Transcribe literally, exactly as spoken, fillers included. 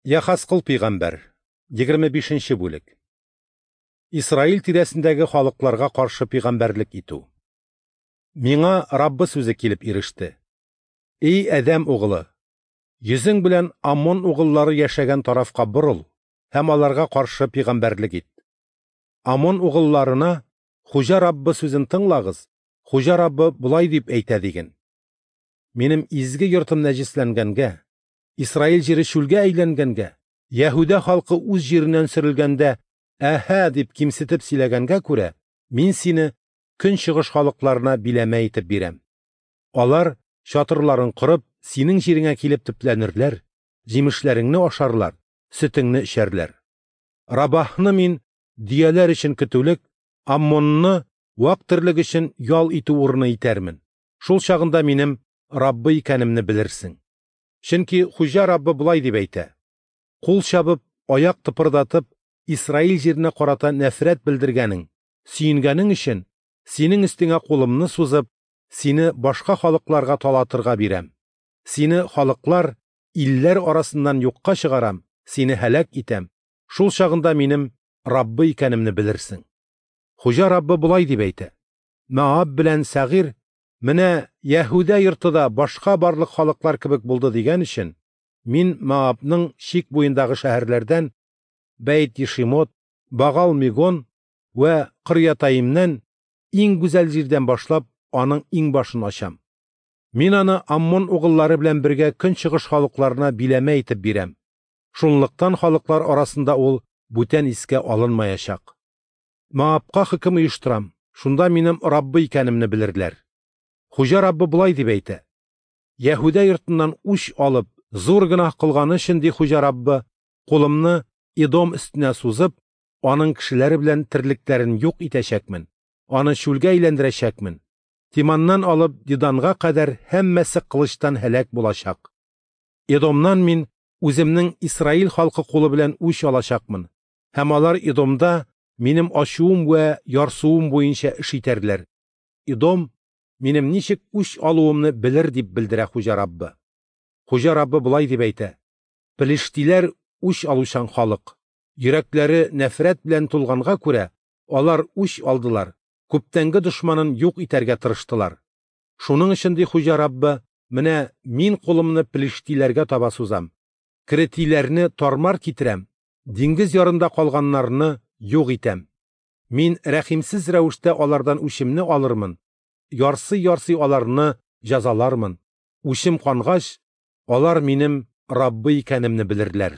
Яхазкыл пәйгамбәр, егерме бишенче бүлек. Исраил тирәсендәге халыкларга каршы пәйгамбәрлек итү. Миңа Раббы сүзе килеп иреште. Эй Адәм угылы, йөзең белән Аммон угыллары яшәгән тарафка борыл һәм аларга каршы пәйгамбәрлек ит. Аммон угылларына Хуҗа Раббы сүзен тыңлагыз, Хуҗа Раббы болай дип әйтә диген. Минем изге йортым нәҗисләнгәнгә, Исраил җире чүлгә әйләнгәнгә, Яһүдә халкы үз җиреннән сөрелгәндә, әһә дип кимсетеп сөйләгәнгә күрә, мин сине көнчыгыш халыкларына биләмә итеп бирәм. Алар чатырларын корып, синең җиреңә килеп төпләнерләр, җимешләреңне ашарлар, сөтеңне эчәрләр. Рабахны мин дөяләр өчен көтүлек, Аммонны вак терлек өчен ял итү урыны итәрмен. Шул чагында минем Раббы икәнемне белерсең. Чөнки Хуҗа Раббы болай дип әйтә: Кул чабып, аяк тыпырдатып, Исраил җиренә карата нәфрәт белдергәнең, сөенгәнең өчен синең өстеңә кулымны сузып, сине башка халыкларга талатырга бирәм. Сине халыклар, илләр арасыннан юкка чыгарам, сине һәлак итәм. Шул чагында минем Раббы икәнемне белерсең. Хуҗа Раббы болай дип әйтә: Моаб белән Сәгыйр менә Яһүдә йорты да башка барлык халыклар кебек булды дигән өчен, мин Моабның чик буендагы шәһәрләрдән Бәйт-Ешимот, Багал-Мегон вә Кырьятаимнән иң гүзәл җирдән башлап аның иң башын ачам. Мин аны Аммон угыллары белән бергә көнчыгыш халыкларына биләмә итеп бирәм. Шунлыктан халыклар арасында ул бүтән искә алынмаячак. Моабка хөкем оештырам, шунда минем Раббы икәнемне белерләр. Хуҗа Раббы болай дип әйтә: Яһүдә йортыннан үч алып, зур гөнаһ кылганы өчен, ди Хуҗа Раббы, кулымны Эдом өстенә сузып, аның кешеләре белән терлекләрен юк итәчәкмен, аны чүлгә әйләндерәчәкмен. Тиманнан алып Диданга кадәр һәммәсе кылычтан һәлак булачак. Эдомнан мин үземнең Исраил халкы кулы белән үч алачакмын, һәм алар Эдомда минем ачуым вә ярсуым буенча эш итәрләр. Эдом минем ничек үч алуымны белер, дип белдерә Хуҗа Раббы. Хуҗа Раббы болай дип әйтә: Пелештиләр үч алучан халык. Йөрәкләре нәфрәт белән тулганга күрә, алар үч алдылар, күптәнге дошманын юк итәргә тырыштылар. Шуның өчен, ди Хуҗа Раббы, менә мин кулымны пелештиләргә таба сузам, кретиләрне тармар китерәм, диңгез ярында калганнарны юк итәм. Мин рәхимсез рәвештә алардан үчемне алырмын, ярсый-ярсый аларны җәзалармын. Үчем кангач, алар минем Раббы икәнемне белерләр.